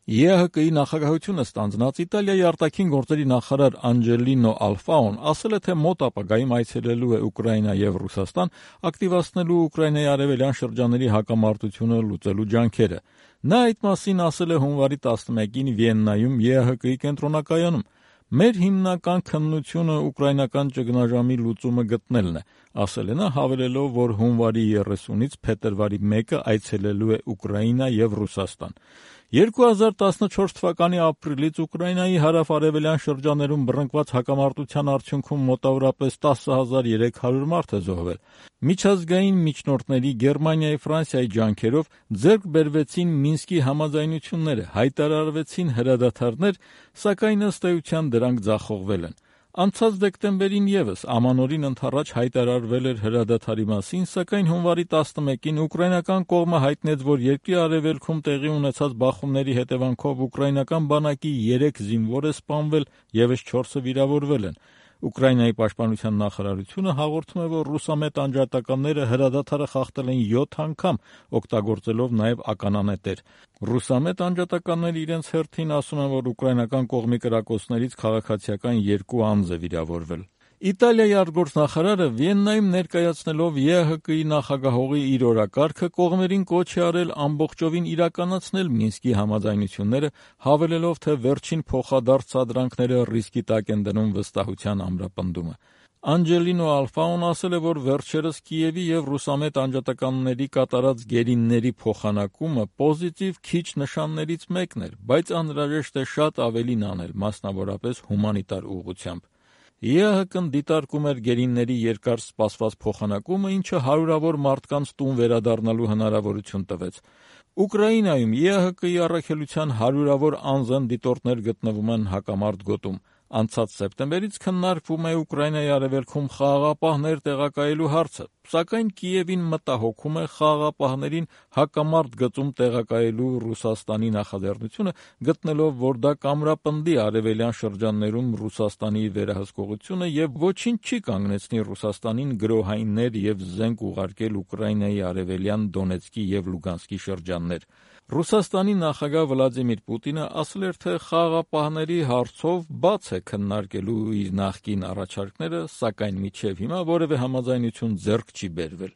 ԵԱՀԿ-ի նախագահությունը ստանձնած Իտալիայի արտաքին գործերի նախարար Անջելինո Ալֆաոն ասել է, թե մոտ ապագայում այցելելու է Ուկրաինա եւ Ռուսաստան, ակտիվացնելու Ուկրաինայի արևելյան շրջանների հակամարտությունը լուծելու ջանքերը։ Նա այդ մասին ասել է հունվարի 11-ին Վիեննայում ԵԱՀԿ-ի կենտրոնակայանում։ «Մեր հիմնական քննությունը ուկրաինական ճգնաժամի լուծումը գտնելն է», ասել է նա, հավելելով, որ հունվարի 30-ից փետրվարի 1-ը այցելելու է Ուկրաինա եւ Ռուսաստան։ 2014 թվականի ապրիլից Ուկրաինայի հարավ-արևելյան շրջաներում բռնկված հակամարտության արդյունքում մոտավորապես 10,300 մարդ է զոհվել։ Միջազգային միջնորդների Գերմանիայի, Ֆրանսիայի ջանքերով ձեռք բերվեցին Մինսկի համաձայնությունները, հայտարարվեցին հրադադարներ, սակայն ըստ էության դրանք ձախողվել են։ Անցած դեկտեմբերին ևս ամանորին ընդառաջ հայտարարվել էր հրադադարի մասին, սակայն հունվարի 11-ին ուկրաինական կողմը հայտնեց, որ երկրի արևելքում տեղի ունեցած բախումների հետևանքով ուկրաինական բանակի 3 զինվոր է սպանվել, ևս 4-ը վիրավորվել են։ Ուկրաինայի պաշտպանության նախարարությունը հաղորդում է, որ ռուսամետ անջատականները հրադադարը խախտել են 7 անգամ, օգտագործելով նաև ականանետեր։ Ռուսամետ անջատականները իրենց հերթին ասում են, որ ուկրաինական կողմի կրակոցներից քաղաքացիական 2 անձ է վիրավորվել։ Իտալիայի արտգործնախարարը Վիեննայում ներկայացնելով ԵԱՀԿ-ի նախագահողի իր օրակարգը կողմերին կոչ է արել ամբողջովին իրականացնել Մինսկի համաձայնությունները, հավելելով, թե վերջին փոխադարձ սադրանքները ռիսկի տակ են դնում վստահության ամրապնդումը։ Անջելինո Ալֆաոն ասել է, որ վերջերս Կիևի եւ ռուսամետ անջատականների կատարած գերիների փոխանակումը պոզիտիվ քիչ նշաններից մեկն էր, բայց անհրաժեշտ է շատ ավելին անել, մասնավորապես հումանիտար ուղղությամբ։ ԵԱՀԿ-ն դիտարկում էր գերիների երկար սպասված փոխանակումը, ինչը հարյուրավոր մարդկանց տուն վերադառնալու հնարավորություն տվեց։ Ուկրաինայում ԵԱՀԿ-ի առաքելության հարյուրավոր անզեն դիտորդներ գտնվում են հակամարտ գոտում։ Անցած սեպտեմբերից քննարկվում է Ուկրաինայի արևելքում խաղաղապահներ տեղակայելու հարցը, սակայն Կիևին մտահոգում է խաղաղապահներին հակամարտ գծում տեղակայելու Ռուսաստանի նախաձեռնությունը, գտնելով, որ դա կամրապնդի արևելյան շրջաններում Ռուսաստանի վերահսկողությունը եւ ոչինչ չի կանգնեցնի Ռուսաստանին գրոհայիններ եւ զենք ուղարկել Ուկրաինայի արևելյան Դոնեցկի եւ Լուգանսկի շրջաններ։ Ռուսաստանի նախագահ Վլադիմիր Պուտինը ասել էր, թե խաղաղապահների հարցով բաց է քննարկելու իր նախկին առաջարկները, սակայն մինչև հիմա որևէ համաձայնություն ձեռք չի բերվել։